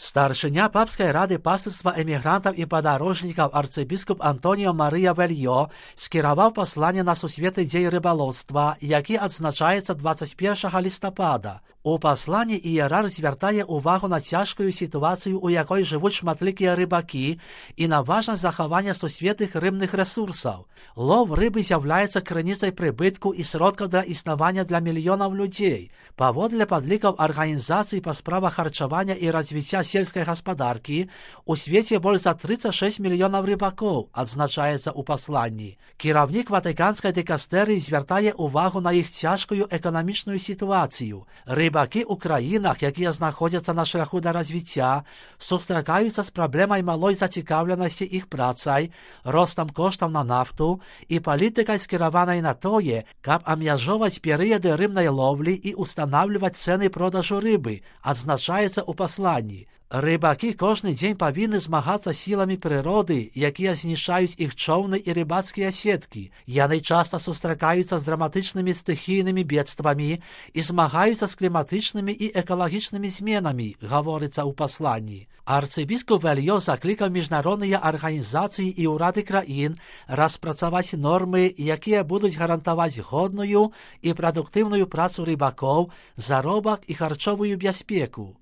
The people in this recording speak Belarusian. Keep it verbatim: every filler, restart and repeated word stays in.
Старшыня папскай рады пастырства эмігрантаў і падарожнікаў арцыбіскуп Антоніо Марыя Вельё скіраваў пасланне на сусветны дзень рыбалоўства, які адзначаецца дваццаць першага лістапада. У пасланні іерарх звяртае ўвагу на цяжкую сітуацыю, у якой жывуць шматлікія рыбакі, і на важнасць захавання сусветных рыбных рэсурсаў. Лов рыбы з'яўляецца крыніцай прыбытку і сродкаў для існавання для мільёнаў людзей. Паводле падлікаў арганізацыі па справах харчавання і развіцця сельскай гаспадаркі, у свеце больш за трыццаць шэсць мільёнаў рыбакоў, адзначаецца ў пасланні. Кіраўнік ватыканскай дыкастэрыі звяртае ўвагу на іх цяжкую эканамічную сітуацыю. Рыбакі ў краінах, якія знаходзяцца на шляху да развіцця, сустракаюцца з праблемай малой зацікаўленасці іх працай, ростам коштаў на нафту і палітыкай скіраванай на тое, каб абмяжоўваць перыяды рыбнай ловлі і устанаўліваць цэны продажу рыбы, адзначаецца ў пасланні. Рыбакі кожны дзень павінны змагацца сіламі прыроды, якія знішчаюць іх чоўны і рыбацкія сеткі. Яны часта сустракаюцца з драматычнымі стыхійнымі бедствамі і змагаюцца з кліматычнымі і экалагічнымі зменамі, гаворыцца ў пасланні. Арцыбіскуп Вельё заклікаў міжнародныя арганізацыі і ўрады краін распрацаваць нормы, якія будуць гарантаваць годную і прадуктыўную працу рыбакоў, заробак і харчовую бяспеку.